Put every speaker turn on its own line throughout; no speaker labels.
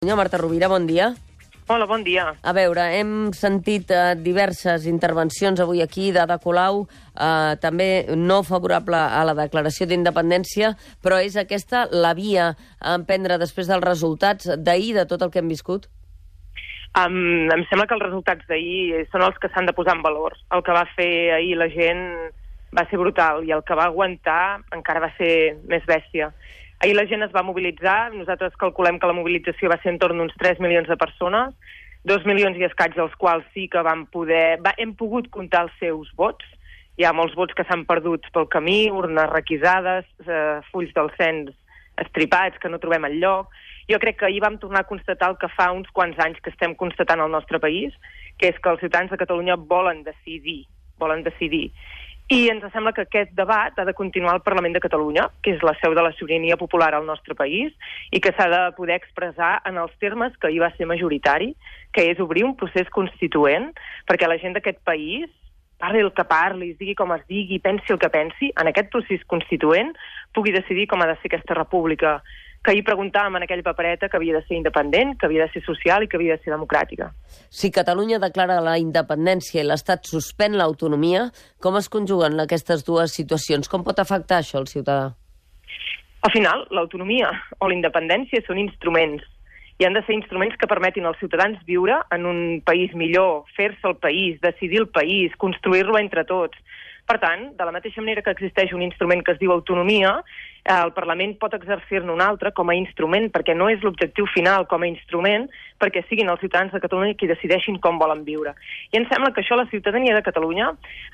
Marta Rovira, bon dia.
Hola, bon dia.
A veure, hem sentit diverses intervencions avui aquí d'Ada Colau, també no favorable a la declaració d'independència, però és aquesta la via a emprendre després dels resultats d'ahir, de tot el que hem viscut?
Em sembla que els resultats d'ahir són els que s'han de posar en valor. El que va fer ahir la gent va ser brutal i el que va aguantar encara va ser més bèstia. Ahir la gent es va mobilitzar, nosaltres calculem que la mobilització va ser en torn d'uns 3 milions de persones, 2 milions i escaig dels quals sí que hem pogut comptar els seus vots. Hi ha molts vots que s'han perdut pel camí, urnes requisades, fulls del cens estripats que no trobem enlloc. Jo crec que ahir vam tornar a constatar el que fa uns quants anys que estem constatant al nostre país, que és que els ciutadans de Catalunya volen decidir. I ens sembla que aquest debat ha de continuar al Parlament de Catalunya, que és la seu de la sobirania popular al nostre país, i que s'ha de poder expressar en els termes que ahir va ser majoritari, que és obrir un procés constituent, perquè la gent d'aquest país, parli el que parli, es digui com es digui, pensi el que pensi, en aquest procés constituent pugui decidir com ha de ser aquesta república, que ahir preguntàvem en aquell papereta que havia de ser independent, que havia de ser social i que havia de ser democràtica.
Si Catalunya declara la independència i l'Estat suspèn l'autonomia, com es conjuguen aquestes dues situacions? Com pot afectar això al ciutadà?
Al final, l'autonomia o la independència són instruments i han de ser instruments que permetin als ciutadans viure en un país millor, fer-se el país, decidir el país, construir-lo entre tots. Per tant, de la mateixa manera que existeix un instrument que es diu autonomia, el Parlament pot exercir-ne un altre com a instrument, perquè no és l'objectiu final com a instrument, perquè siguin els ciutadans de Catalunya qui decideixin com volen viure. I em sembla que això la ciutadania de Catalunya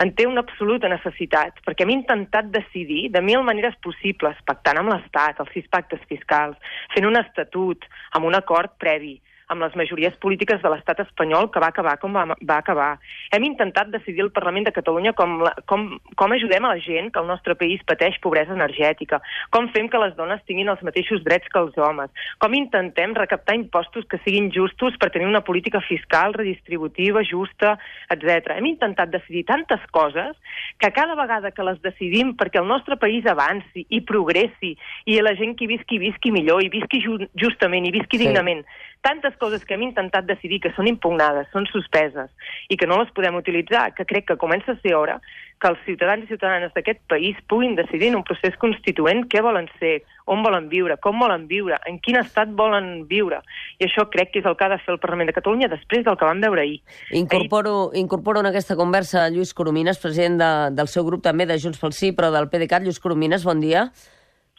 en té una absoluta necessitat, perquè hem intentat decidir de 1000 maneres possibles, pactant amb l'Estat, els 6 pactes fiscals, fent un estatut, amb un acord previ, amb les majories polítiques de l'estat espanyol que va acabar com va acabar. Hem intentat decidir al Parlament de Catalunya com ajudem a la gent que el nostre país pateix pobresa energètica, com fem que les dones tinguin els mateixos drets que els homes, com intentem recaptar impostos que siguin justos per tenir una política fiscal redistributiva, justa, etc. Hem intentat decidir tantes coses que cada vegada que les decidim perquè el nostre país avanci i progressi i la gent que visqui millor i visqui justament i visqui dignament, tantes coses que hem intentat decidir que són impugnades, són suspeses i que no les podem utilitzar, que crec que comença a ser hora que els ciutadans i ciutadanes d'aquest país puguin decidir en un procés constituent què volen ser, on volen viure, com volen viure, en quin estat volen viure. I això crec que és el que ha de fer el Parlament de Catalunya després del que vam veure ahir.
Incorporo en aquesta conversa Lluís Coromines, president del seu grup també de Junts pel Sí, però del PDeCAT. Lluís Coromines, bon dia.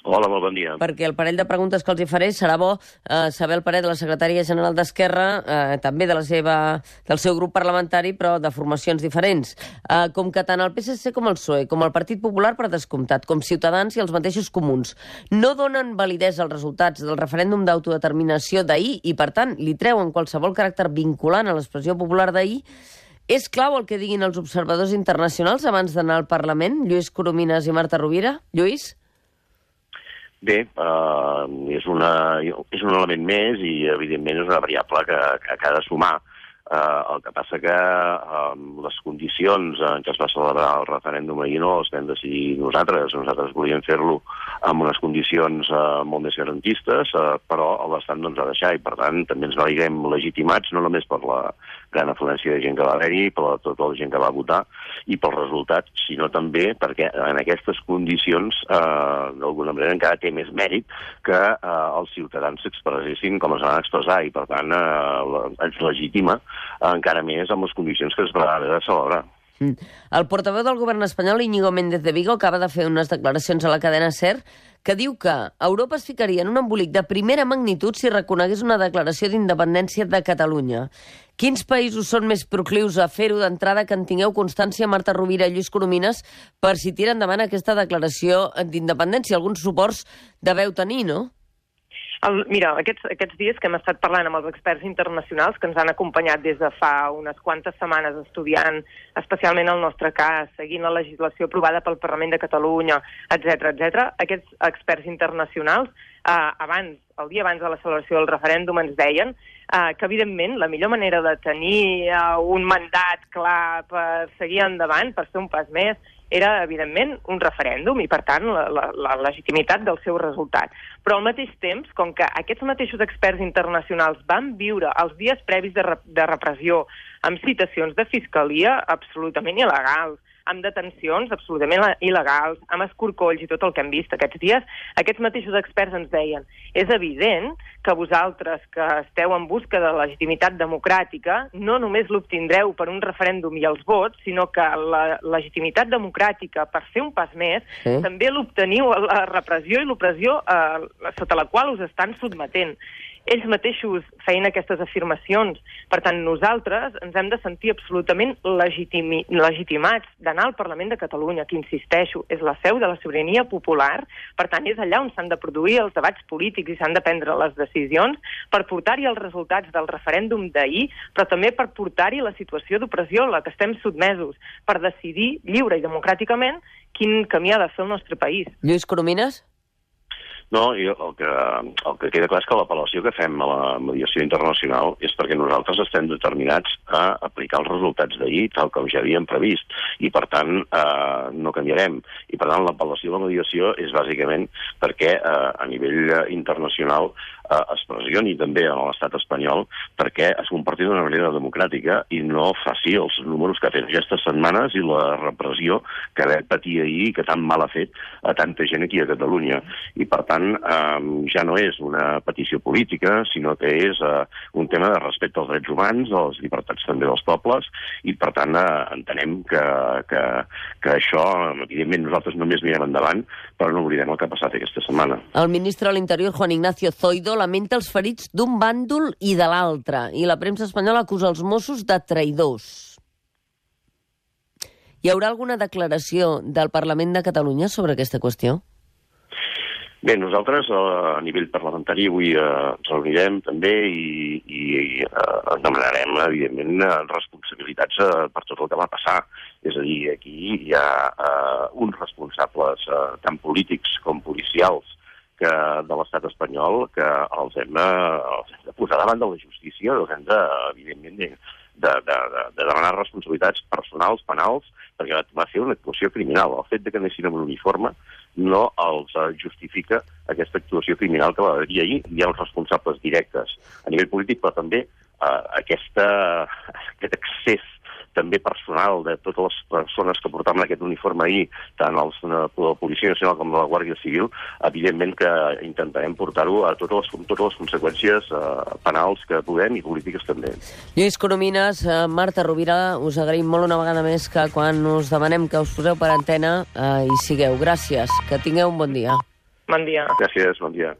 Hola, molt bon dia.
Perquè el parell de preguntes que els hi faré serà bo saber el parer de la secretària general d'Esquerra, també del seu grup parlamentari, però de formacions diferents. Com que tant el PSC com el PSOE, com el Partit Popular, per descomptat, com Ciutadans i els mateixos comuns, no donen validesa als resultats del referèndum d'autodeterminació d'ahir i, per tant, li treuen qualsevol caràcter vinculant a l'expressió popular d'ahir, és clau el que diguin els observadors internacionals abans d'anar al Parlament? Lluís Coromines i Marta Rovira? Lluís?
Bé, és un element més i, evidentment, és una variable que ha de sumar. El que passa que les condicions en què es va celebrar el referèndum ahir no les vam decidir nosaltres. Nosaltres volíem fer-lo amb unes condicions molt més garantistes, però l'Estat no ens va deixar i, per tant, també ens veiem legitimats, no només per la gran afluència de gent que va haver-hi, per tota la gent que va votar i pels resultats, sinó també perquè en aquestes condicions, d'alguna manera, encara té més mèrit que els ciutadans s'expressessin com es van expressar i, per tant, ens legitima encara més amb les condicions que es va haver de celebrar.
El portaveu del govern espanyol, Íñigo Méndez de Vigo, acaba de fer unes declaracions a la cadena SER que diu que Europa es ficaria en un embolic de primera magnitud si reconegués una declaració d'independència de Catalunya. Quins països són més proclius a fer-ho d'entrada, que en tingueu constància, Marta Rovira i Lluís Coromines, per si tira endavant aquesta declaració d'independència? Alguns suports deveu tenir, no?
Mira, aquests dies que hem estat parlant amb els experts internacionals que ens han acompanyat des de fa unes quantes setmanes estudiant especialment el nostre cas, seguint la legislació aprovada pel Parlament de Catalunya, etc. Aquests experts internacionals, el dia abans de la celebració del referèndum, ens deien que, evidentment, la millor manera de tenir un mandat clar per seguir endavant, per fer un pas més, era, evidentment, un referèndum i, per tant, la legitimitat del seu resultat. Però al mateix temps, com que aquests mateixos experts internacionals van viure els dies previs de repressió amb citacions de fiscalia absolutament il·legals, amb detencions absolutament il·legals, amb escorcolls i tot el que hem vist aquests dies, aquests mateixos experts ens deien: és evident que vosaltres, que esteu en busca de legitimitat democràtica, no només l'obtindreu per un referèndum i els vots, sinó que la legitimitat democràtica, per fer un pas més, també l'obteniu a la repressió i l'opressió sota la qual us estan sotmetent. Ells mateixos feien aquestes afirmacions. Per tant, nosaltres ens hem de sentir absolutament legitimats d'anar al Parlament de Catalunya, que, insisteixo, és la seu de la sobirania popular. Per tant, és allà on s'han de produir els debats polítics i s'han de prendre les decisions per portar-hi els resultats del referèndum d'ahir, però també per portar-hi la situació d'opressió a la que estem sotmesos, per decidir lliure i democràticament quin camí ha de fer el nostre país.
Lluís Coromines?
No, el que queda clar és que l'apel·lació que fem a la mediació internacional és perquè nosaltres estem determinats a aplicar els resultats d'ahir, tal com ja havíem previst, i per tant no canviarem. I per tant l'apel·lació a la mediació és bàsicament perquè a nivell internacional es pressioni també a l'estat espanyol perquè es comporti d'una manera democràtica i no faci els números que ha fet aquestes setmanes i la repressió que vam patir ahir, que tan mal ha fet a tanta gent aquí a Catalunya. I per tant ja no és una petició política, sinó que és un tema de respecte als drets humans, a les llibertats també dels pobles, i per tant entenem que això, evidentment nosaltres només mirem endavant, però no oblidem el que ha passat aquesta setmana.
El ministre de l'Interior, Juan Ignacio Zoido, lamenta els ferits d'un bàndol i de l'altre, i la premsa espanyola acusa els Mossos de traïdors. Hi haurà alguna declaració del Parlament de Catalunya sobre aquesta qüestió?
Bé, nosaltres a nivell parlamentari avui ens reunirem també i demanarem, evidentment, responsabilitats per tot el que va passar. És a dir, aquí hi ha uns responsables tant polítics com policials de l'estat espanyol que els hem de posar davant de la justícia, els hem de, evidentment, de demanar responsabilitats personals, penals, perquè va ser una actuació criminal. El fet de que anessin amb un uniforme no els justifica aquesta actuació criminal que va haver ahir. Hi ha uns responsables directes a nivell polític, però també aquest excés també personal de totes les persones que portaven aquest uniforme ahir, tant de la Policia Nacional com de la Guàrdia Civil, evidentment que intentarem portar-ho a totes les conseqüències penals que podem i polítiques també.
Lluís Coromines, Marta Rovira, us agraïm molt una vegada més que quan us demanem que us poseu per antena hi sigueu. Gràcies, que tingueu un bon dia.
Bon dia.
Gràcies, bon dia.